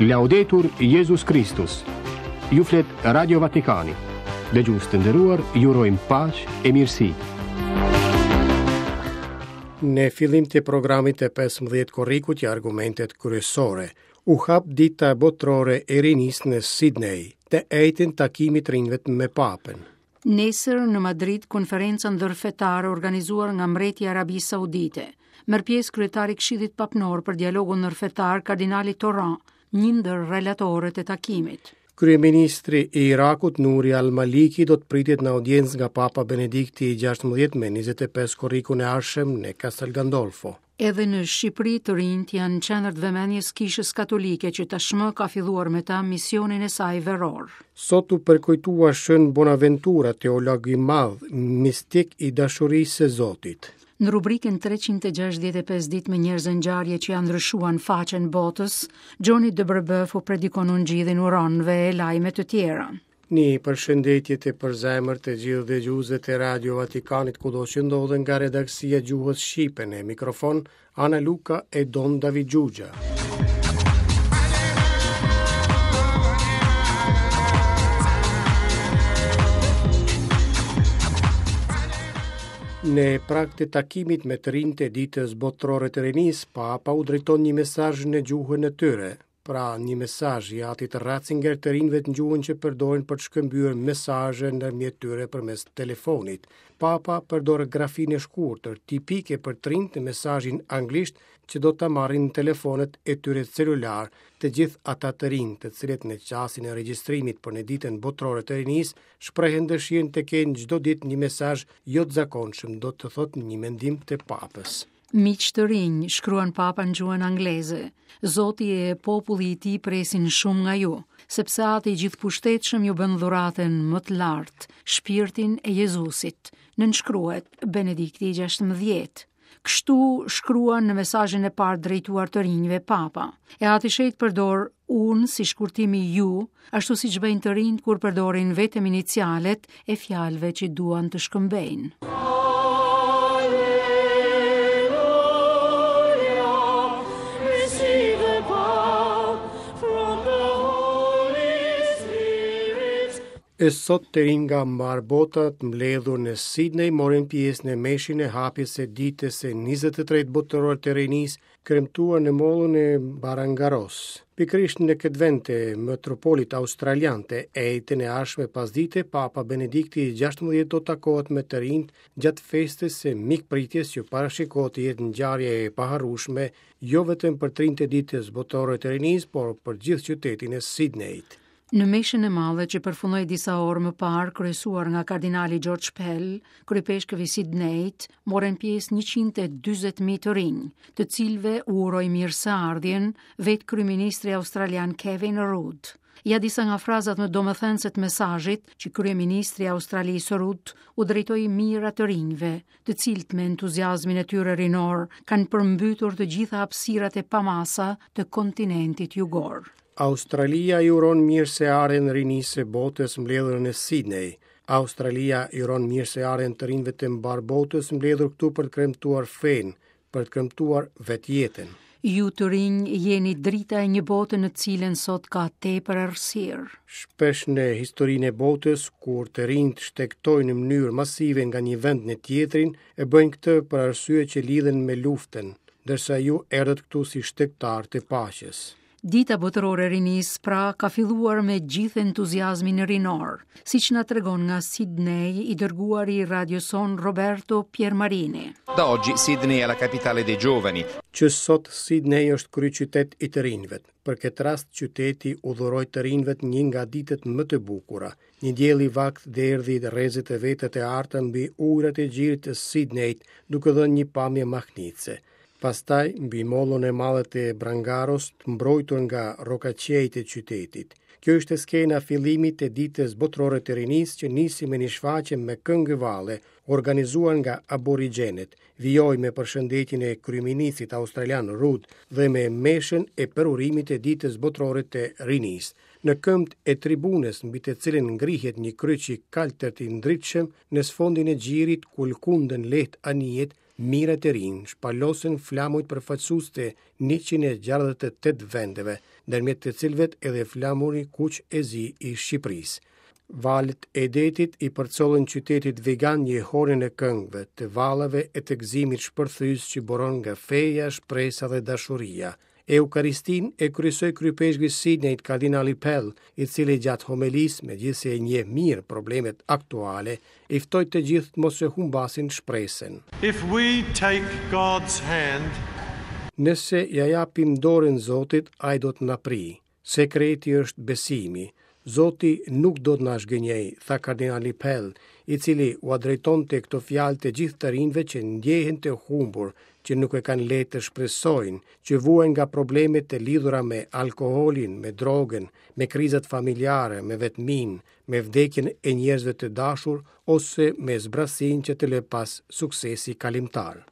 Laudetur Jezus Kristus. Ju flet Radio Vatikani. Dëgjues të nderuar, ju urojmë paqe e mirësi. Në fillim të programit të 15 korrikut ja argumentet kryesore. U hap dita botërore e rinisë në Sydney, të enjten takimi i të rinjve me Papën. Nesër në Madrid konferenca ndërfetare organizuar nga mbreti i Arabisë Saudite. Merr pjesë kryetari i Këshillit Papnor për dialogun ndërfetar kardinali Tauran, një ndër relatorët e takimit. Kryeministri i Irakut Nuri al-Maliki do të pritet në audiencë nga Papa Benedikti i 16 me 25 korrikun e ardhshëm në Castel Gandolfo. Edhe në Shqipëri të rinjtë janë në qendër të vëmendjes Kishës Katolike që tashmë ka filluar me ta misionin e saj veror. Sot u përkujtua Shën Bonaventura, teolog i madh, mistik i dashurisë së Zotit. Në rubrikën 365 ditë me njerëz e ngjarje që ia ndryshuan faqen botës, Gjoni de Brebeuf u predikon ungjillin huronëve e lajme të tjera. Një përshëndetje të përzemërt të gjithë dëgjuesve të Radio Vatikanit kudo që ndodhen nga redaksia e gjuhës shqipe në mikrofon Ana Luka e Don David Xhuxha. Në prag të takimit me të rinjtë e ditës botërore të rinisë, Papa u drejton një mesazh në gjuhën e tyre. Pra, një mesazh i atit Ratzinger të rinjve në gjuhën që përdorin për të shkëmbyer mesazhe ndërmjet tyre përmes telefonit. Papa përdor grafinë e shkurtër, tipike për të rinjtë në mesazhin anglisht që do ta marrin në telefonët e tyre celular, të gjithë ata të rinj, të cilët në çastin e regjistrimit për në ditën botërore të rinisë, shprehën dëshirën të kenë çdo ditë një mesazh jo të zakonshëm, do të thotë një mendim të Papës. Miq të rinj, shkruan Papa në gjuhën angleze, Zoti e populli i tij presin shumë nga ju, sepse Ati i gjithëpushtetshëm ju bën dhuratën më të lartë, shpirtin e Jezusit. Nënshkruhet Benedikti i 16. Kështu shkruan në mesazhin e parë drejtuar të rinjve Papa. E Ati i Shenjtë përdor unë si shkurtim i ju, ashtu siç bëjnë të rinjtë kur përdorin vetëm inicialet e fjalëve që duan të shkëmbejnë. E sot të rinj nga mbarë bota të mbledhur në Sydney morën pjesë në meshën e hapjes së ditës së 23 botërore të rinisë kremtuar në mollën e Barangaros. Pikërisht në këtë vend të metropolit australian të enjten e ardhshme pasdite, Papa Benedikti i 16 do të takohet me të rinjtë gjatë festës së mikpritjes që parashikohet të jetë ngjarje e paharrueshme jo vetëm për të rinjtë e ditës botërore të rinisë, por për gjithë qytetin e Sydneyt. Në meshën e madhe që përfundoi disa orë më parë, kryesuar nga kardinali George Pell, kryepeshkëv i Sydneyt, morën pjesë 140.000 të rinj, të cilëve u uroi mirëseardhjen vetë kryeministri australian Kevin Rudd. Ja disa nga frazat më domethënëse të mesazhit që kryeministri i Australisë Rudd u drejtoi mijëra të rinjve, të cilët me entuziazmin e tyre rinor kanë përmbytur të gjitha hapësirat e pamasa të kontinentit jugor. Australia i uron mirëseardhjen rinisë së botës mbledhur në Sydney. Australia i uron mirëseardhjen të rinjve të mbarë botës mbledhur këtu për të kremtuar fenë, për të kremtuar vetë jetën. Ju të rinj jeni drita e një bote në të cilën sot ka tepër errësirë. Shpesh në historinë e botës, kur të rinjtë shtegtojnë në mënyrë masive nga një vend në tjetrin, e bëjnë këtë për arsye që lidhen me luftën, ndërsa ju erdhët këtu si shtegtarë të paqes. Dita Botërore e Rinisë pra ka filluar me gjithë entuziazmin rinor, siç na tregon nga Sydney i dërguari i radios sonë Roberto Piermarini. Da oggi Sydney è la capitale dei giovani. Që sot Sydney është kryeqytet i të rinjve. Për këtë rast qyteti u dhuroi të rinjve një nga ditët më të bukura. Një diell i vakët derdhi rrezet e veta të arta mbi ujërat e gjirit të Sydneyt, duke dhënë një pamje mahnitëse. Pastaj, mbi mollën e madhe të Brangaros, të mbrojtur nga rrokaqiejt e qytetit. Kjo ishte skena e fillimit të Ditës Botërore të Rinisë që nisi me një shfaqje me këngë e valle, organizuar nga aborigjenët, vijoi me përshëndetjen e kryeministrit australian Rudd dhe me meshën e përurimit të Ditës Botërore të Rinisë. Në këmbët e tribunës mbi të cilën ngrihet një kryq i kaltërt i ndritshëm, në sfondin e gjirit ku lëkunden lehtë anijet, Mijëra të rinj shpalosën flamujt përfaqësues të 168 vendeve, ndërmjet të cilëve edhe flamuri kuq e zi i Shqipërisë. Valët e detit i përcollën qytetit vigan jehonën e këngëve, të valleve e të gëzimit shpërthyes që buron nga feja, shpresa dhe dashuria. Eukaristinë e kryesoi kryeipeshkvi i Sidnejt kardinali Pell, i cili gjatë homelisë, megjithëse i njeh mirë problemet aktuale, i ftoi të gjithë të mos e humbasin shpresën. If we take God's hand, Nëse ia japim dorën Zotit, ai do të na prijë. Sekreti është besimi. Zoti nuk do të na zhgënjejë, tha kardinali Pell, i cili ua drejtonte këto fjalë të gjithë të rinjve që ndjehen të humbur, që nuk e kanë lehtë të shpresojnë, që vuajnë nga probleme të lidhura me alkoolin, me drogën, me krizat familjare, me vetminë, me vdekjen e njerëzve të dashur ose me zbrazësinë që të lë pas suksesi kalimtar.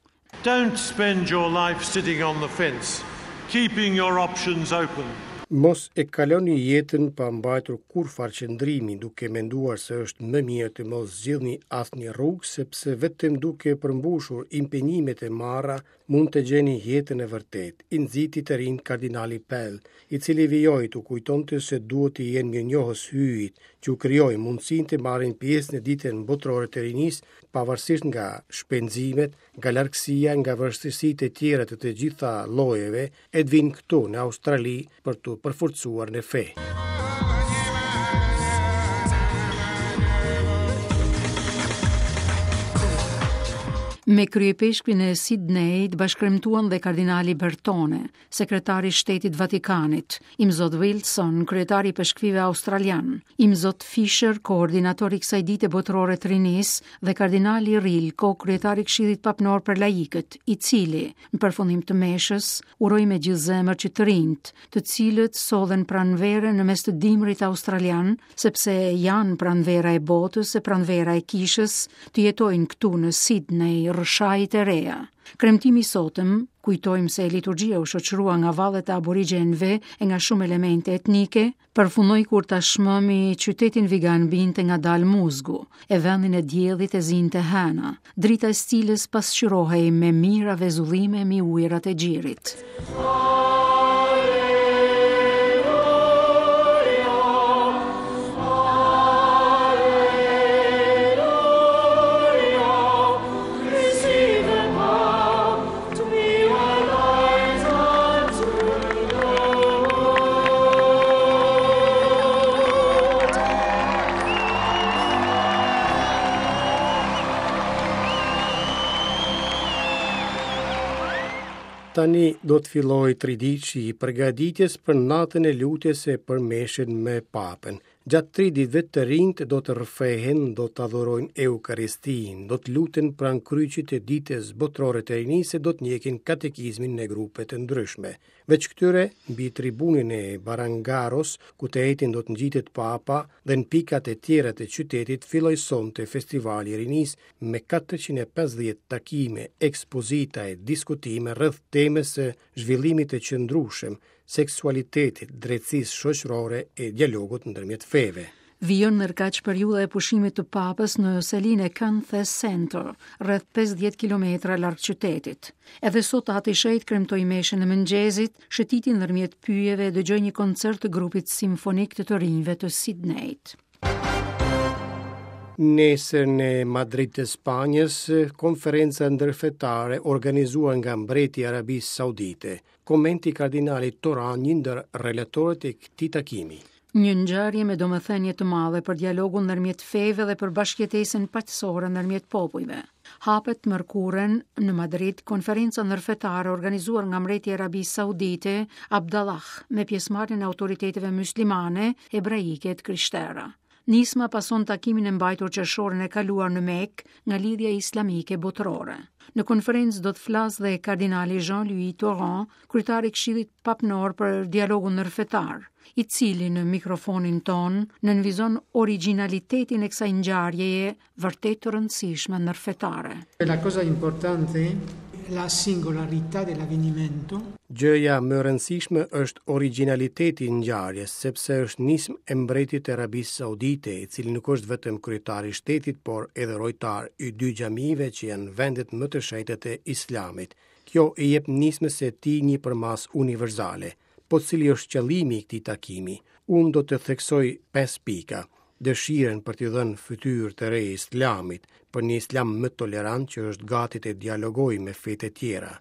Don't spend your life sitting on the fence, keeping your options open. Mos e kaloni jetën pa mbajtur kurrfarë qëndrimi, duke menduar se është më mirë të mos zgjidhni asnjë rrugë, sepse vetëm duke përmbushur impenjimet e marra mund të gjeni jetën e vërtetë, i nxiti të rinjtë kardinali Pell, i cili vijoi t'u kujtonte se duhet t'i jenë mirënjohës Hyjit, që u krijoi mundësinë të marrin pjesë në Ditën Botërore të Rinisë, pavarësisht nga shpenzimet, nga largësia, nga vështirësitë e tjera të të gjitha llojeve, e të vijnë këtu në Australi për t'u përforcuar në fe. Me kryeipeshkvin e Sidnejit bashkëkremtuan dhe kardinali Bertone, sekretari i Shtetit të Vatikanit, Imzot Wilson, kryetari i ipeshkvijve australianë, Imzot Fisher, koordinator i kësaj dite botërore të rinisë dhe kardinali Rilko, kryetari i Këshillit Papnor për Laikët, i cili, në përfundim të meshës, uroi me gjithë zemër që të rinjtë, të cilët sollën pranverën në mes të dimrit australian, sepse janë pranvera e botës e pranvera e kishës, të jetojnë këtu në Sidney rrëshajit e reja. Kremtimi i sotëm, kujtojmë se liturgjia u shoqërua nga vallet e aborigjenëve e nga shumë elemente etnike, përfundoi kur tashmë mbi qytetin vigan binte ngadalë muzgu, e vendin e diellit e zinte hëna, drita e së cilës pasqyrohej me mijëra vezullime mbi ujërat e gjirit. Tani do të fillojë triditëshi i përgatitjes për natën e lutjes e për meshën me papën. Gjatë tri ditëve të rinjtë do të rrëfehen, do të adhurojnë Eukaristinë, do të luten pranë kryqit të Ditës Botërore të Rinisë e do të ndjekin katekizmin në grupe të ndryshme. Veç këtyre, mbi tribunën e Barangaros, ku të enjten do të ngjitet Papa dhe në pikat e tjera të qytetit filloi sonte Festivali i Rinisë me 450 takime, ekspozita e diskutime rreth temës së zhvillimit të qëndrueshëm, seksualitetit, drejtësisë shoqërore e dialogut ndërmjet feve. Vijon ndërkaq periudha e pushimit të Papës në selinë e Canthe Center, rreth 50 kilometra larg qytetit. Edhe sot Ati i Shenjtë kremtoi meshën e mëngjesit, shëtiti ndërmjet pyjeve e dëgjoi një koncert të grupit simfonik të të rinjve të Sidnejt. Nesër në Madrid të Spanjës, konferenca ndërfetare organizuar nga mbreti i Arabisë Saudite. Komenti i kardinalit Tauran, një ndër relatorët e këtij takimi. Një ngjarje me domethënie të madhe për dialogun ndërmjet feve dhe për bashkëjetesën paqësore ndërmjet popujve. Hapet të mërkurën në Madrid konferenca ndërfetare organizuar nga mbreti i Arabisë Saudite, Abdallah, me pjesëmarrjen e autoriteteve myslimane, hebraike e të krishtera. Nisma pason takimin e mbajtur qershorin e kaluar në Mekë nga Lidhja Islamike Botërore. Në konferencë do të flasë dhe kardinali Jean-Louis Tauran, kryetar i Këshillit Papnor për Dialogun Ndërfetar, i cili në mikrofonin tonë nënvizon origjinalitetin e kësaj ngjarjeje vërtet të rëndësishme ndërfetare. La cosa importante. la singolarità dell'avvenimento. Gjëja më e rëndësishme është origjinaliteti i ngjarjes, sepse është nismë e mbretit të Arabisë Saudite, i cili nuk është vetëm kryetar i shtetit, por edhe rojtar i dy xhamive që janë vendet më të shenjta të Islamit. Kjo i jep nismës së tij një përmasë universale. Po cili është qëllimi i këtij takimi? Unë do të theksoj pesë pika. Dëshirën për t'i dhënë fytyrë të re Islamit, për një Islam më tolerant që është gati të dialogojë me fetë e tjera.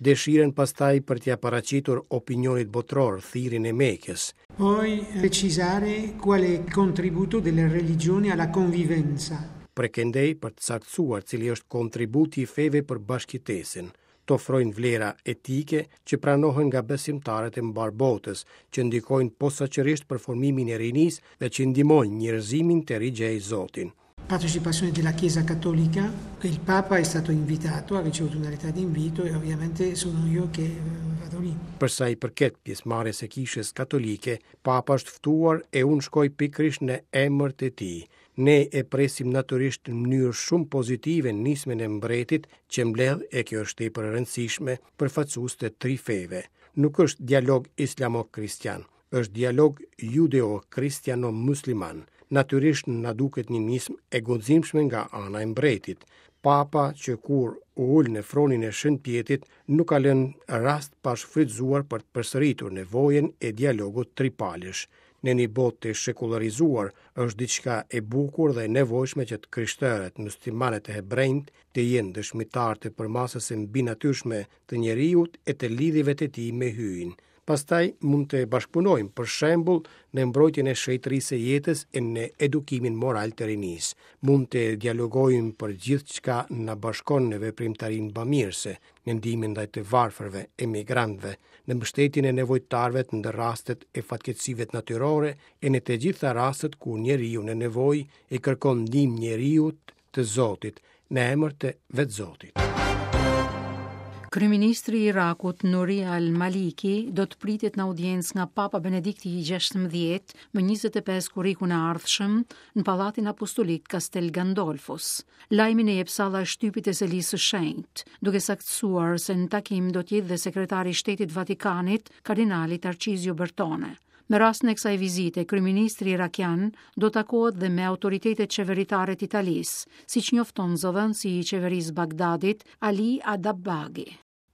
Dëshirën pastaj për t'ia paraqitur opinionit botëror thirrjen e Mekës. Poi precisare qual è il contributo delle religioni alla convivenza. Prej këndej për të saktësuar cili është kontributi i feve për bashkëjetesën, të ofrojnë vlera etike që pranohen nga besimtarët e mbarë botës, që ndikojnë posaçërisht për formimin e rinisë dhe që ndihmojnë njerëzimin të rigjejë Zotin. Partecipazione della Chiesa Cattolica, il Papa è stato invitato, ha ricevuto una lettera di invito e ovviamente sono io che vado lì. Për sa i përket pjesëmarrjes së Kishës Katolike, Papa është ftuar e unë shkoj pikërisht në emër të tij. Ne e presim natyrisht në mënyrë shumë pozitive nismën e mbretit që mbledh, e kjo është tepër e rëndësishme, përfaqësues të tri feve. Nuk është dialog islamo-kristian, është dialog judeo-kristiano-musliman. Natyrisht na duket një nismë e guximshme nga ana e mbretit. Papa që kur u ul në fronin e Shën Pjetrit nuk ka lënë rast pa shfrytëzuar për të përsëritur nevojën e dialogut tripalësh. Në një botë të shekullarizuar, është diçka e bukur dhe e nevojshme që të krishterët, muslimanët e hebrenjtë të jenë dëshmitarë të përmasës së mbinatyrshme të njeriut e të lidhjeve të tij me Hyjin. Pastaj mund të bashkëpunojmë, për shembull, në mbrojtjen e shenjtërisë së jetës e në edukimin moral të rinisë. Mund të dialogojmë për gjithçka na bashkon në veprimtarinë bamirëse, në ndihmën ndaj të varfërve, emigrantëve, në mbështetjen e nevojtarëve në rastet e fatkeqësive natyrore e në të gjitha rastet kur njeriu në nevojë i kërkon ndihmë njeriut të Zotit, në emër të vetë Zotit. Kryeministri i Irakut, Nuri al-Maliki, do të pritet në audiencë nga Papa Benedikti i 16 më 25 korrikun e ardhshëm në Pallatin Apostolik Castel Gandolfos. Lajmin e jep salla e shtypit e Selisë së Shenjtë, duke saktësuar se në takim do të jetë dhe sekretari i Shtetit të Vatikanit, kardinali Tarcizio Bertone. Me rastin e kësaj vizite, kryeministri irakian do takohet dhe me autoritetet qeveritare të Italisë, siç njofton zëdhënësi i qeverisë Bagdadit, Ali Adabbaghi.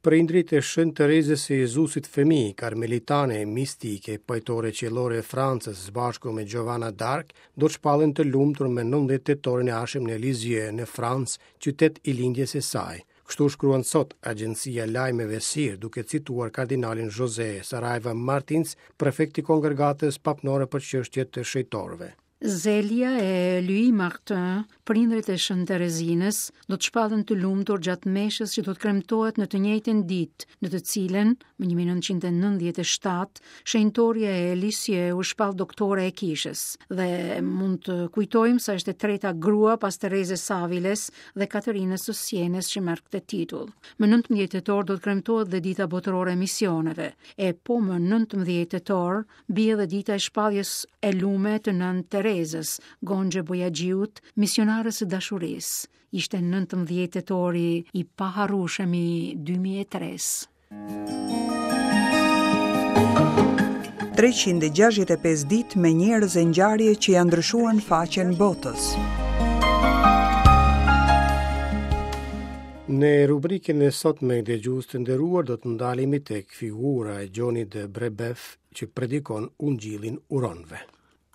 Prindërit e Shën Terezës së Jezusit Fëmijë, karmelitane mistike, pajtore qiellore e Francës, së bashku me Giovanna d'Arc, do të shpallen të lumtur më 19 tetorin e ardhshëm në Lisieux, në Francë, qytet i lindjes së saj. Kështu shkruan sot agjencia e lajmeve SIR, duke cituar kardinalin José Saraiva Martins, prefekt i Kongregatës Papnore për çështje të shenjtorëve. Zelia e Louis Martin, prindërit e Shën Terezinës, do të shpallen të lumtur gjatë meshës që do të kremtohet në të njëjtën ditë, në të cilën, më 1997, shenjtorja e Lisieux u shpall doktore e kishës. Dhe mund të kujtojmë se është e treta grua pas Terezës së Aviles dhe Katerinës së Sienës që merr këtë titull. Më 19 tetor do të kremtohet dhe Dita Botërore e Misioneve, e po më 19 tetor Bie dhe dita e shpalljes e lume të Nënë Terezës, Gonxhe Bojaxhiut, misionares së dashurisë. Ishte 19 tetori i paharrueshëm i 2003-s. 365 ditë me njerëz e ngjarje që ia ndryshuan faqen botës. Në rubrikën e sotme dëgjues të nderuar do të ndalemi tek figura e Gjonit de Brebef që predikon ungjillin uronëve.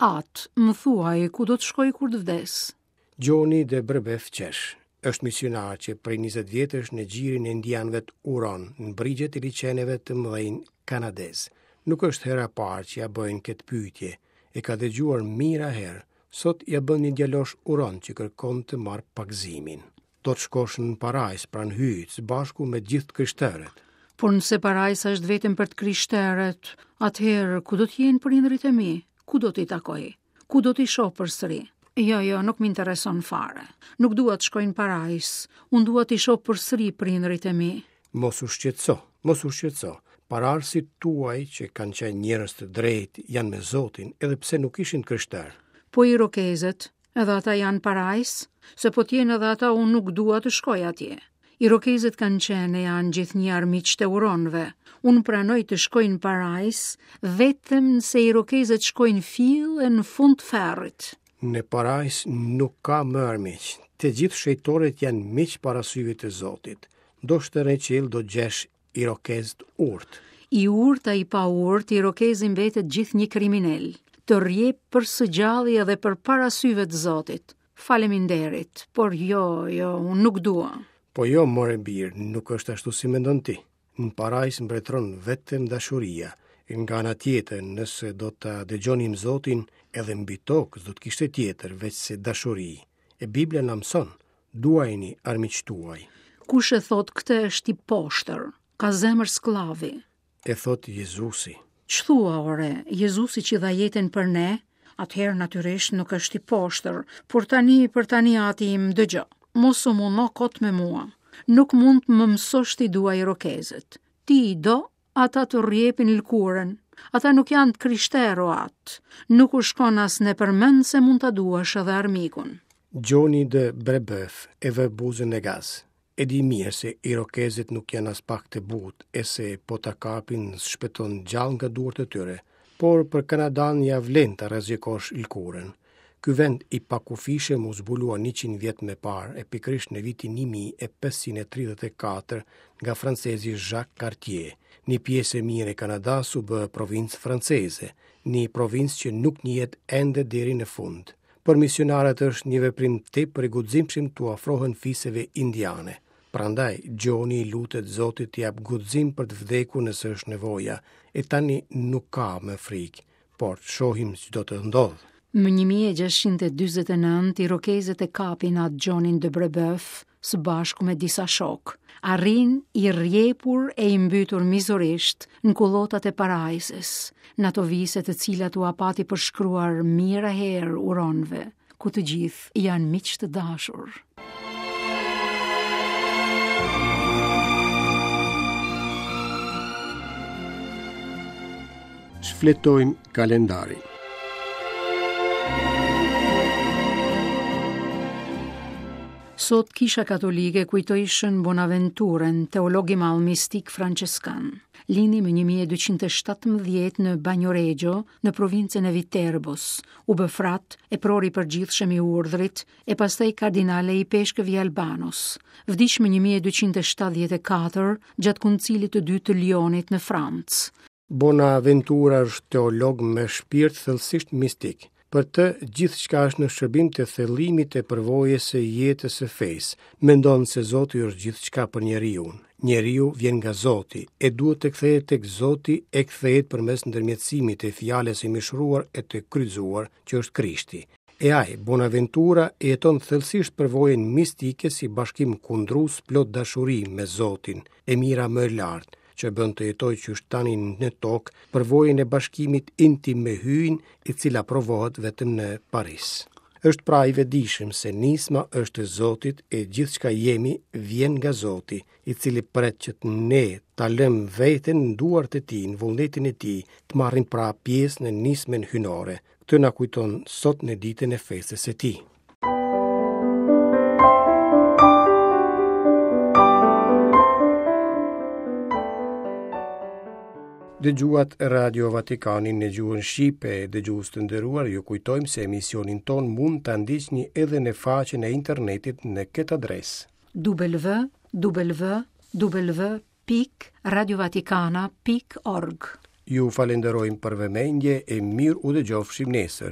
Atë, më thuaj, ku do të shkoj kur të vdes? Gjoni de Brebef qesh. Është misionar që prej 20 vjetësh në gjirin e indianëve Uron, në brigjet e liqeneve të mëdhenj kanadezë. Nuk është hera e parë që ia bëjnë këtë pyetje. E ka dëgjuar mijëra herë. Sot ia bën një djalosh uron që kërkon të marrë pagëzimin. Do të shkosh në parajsë pranë Hyjit së bashku me gjithë të krishterët. Por nëse parajsa është vetëm për të krishterët, atëherë ku do të jenë prindërit e mi? Ku do t'i takoj? Ku do t'i shoh përsëri? Jo, jo, nuk më intereson fare. Nuk dua të shkoj në parajsë. Unë dua t'i shoh përsëri prindërit e mi. Mos u shqetëso, mos u shqetëso. Paraardhësit tuaj që kanë qenë njerëz të drejtë janë me Zotin, edhe pse nuk ishin të krishterë. Po irokezët, Edhe ata janë parajsë, se po të jenë edhe ata unë nuk dua të shkoj atje. Irokezët kanë qenë e janë gjithnjë armiqtë e uronëve. Unë pranoj të shkoj në parajsë, vetëm nëse irokezët shkojnë fill e në fund të ferrit. Në parajsë nuk ka më armiq. Të gjithë shenjtorët janë miq para syve të Zotit. Ndoshta në qiell do gjesh irokez të urtë. I urtë a i paurtë, irokezi mbetet gjithnjë kriminel. Të rrjep për së gjalli edhe përpara syve të Zotit. Faleminderit, por jo, jo, unë nuk dua. Po jo, more bir, nuk është ashtu si mendon ti. Në parajsë mbretëron vetëm dashuria. Nga ana tjetër, nëse do ta dëgjonim Zotin, edhe mbi tokë s'do të kishte tjetër veçse dashuri. E Bibla na mëson, duajini armiqtë tuaj. Kush e thotë këtë është i poshtër, ka zemër skllavi. E thotë Jezusi. Ç'thua ore, Jezusi që dha jetën për ne, atëherë natyrisht nuk është i poshtër, por tani për tani ati im dëgjo. Mos u mundo kot me mua. Nuk mund të më mësosh t'i dua irokezët. Ti i do, ata të rrjepin lëkurën. Ata nuk janë të krishterë o atë. Nuk u shkon as nëpër mend se mund ta duash edhe armikun. Gjoni de Brebeuf e vë buzën në gaz. E di mirë se irokezët nuk janë aspak të butë e se po ta kapin s'shpëton gjallë nga duart e tyre, por për Kanadanë ia vlen ta rrezikosh lëkurën. Ky vend i pakufishëm u zbulua 100 vjet më parë e pikërisht në vitin 1534 nga francezi Jacques Cartier. Një pjesë e mirë e Kanadasë u bë provincë franceze, një provincë që nuk njihet ende deri në fund. Për misionarët është një veprim tepër i guximshëm t'u afrohen fiseve indiane. Prandaj, Gjoni i lutet Zotit t'i japë guxim për të vdekur nëse është nevoja, e tani nuk ka më frikë, por të shohim ç'do të ndodhë. Më 1649, irokezët e kapin atë Gjonin de Brebeuf së bashku me disa shokë. Arrin i rrjepur e i mbytur mizorisht në kullotat e parajsës, në ato vise të cilat ua pati përshkruar mijëra herë uronëve, ku të gjithë janë miq të dashur. Shfletojmë kalendarin. Sot Kisha Katolike kujtoi Shën Bonaventurën, teolog i madh mistik françeskan. Lindi më 1217 në Bagnoregio, në provincën e Viterbos. U bë frat, epror i përgjithshëm i urdhrit, e pastaj kardinal e ipeshkëv i Albanos. Vdiq më 1274 gjatë Koncilit të Dytë të Lionit në Francë. Bonaventura është teolog me shpirt thellësisht mistik. Për të, gjithçka është në shërbim të thellimit të përvojës së jetës së fesë. Mendon se Zoti është gjithçka për njeriun. Njeriu vjen nga Zoti, e duhet të kthehet tek Zoti e kthehet përmes ndërmjetësimit të fjalës së mishëruar e të kryqëzuar, që është Krishti. E ai, Bonaventura, e jeton thellësisht përvojën mistike si bashkim kundrues plot dashuri me Zotin, e mira më e lartë, që e bën të jetojë qysh tani në tokë përvojën e bashkimit intim me Hyjin, e cila provohet vetëm në Paris. Është pra i vetëdijshëm se nisma është e Zotit e gjithçka jemi vjen nga Zoti, i cili pret që të ne ta lëmë veten në duart e tij, në vullnetin e tij, të marrim pra pjesë në nismën hyjnore. Këtë na kujton sot në ditën e festës së tij. Dëgjuat Radio Vatikanin në gjuhën shqipe, dëgjues të nderuar, ju kujtojmë se emisionin tonë mund ta ndiqni edhe në faqen e internetit në këtë adresë. www pikë radiovatikana pikë org. Ju falenderojmë për vëmendje e mirë u dëgjofshim nesër.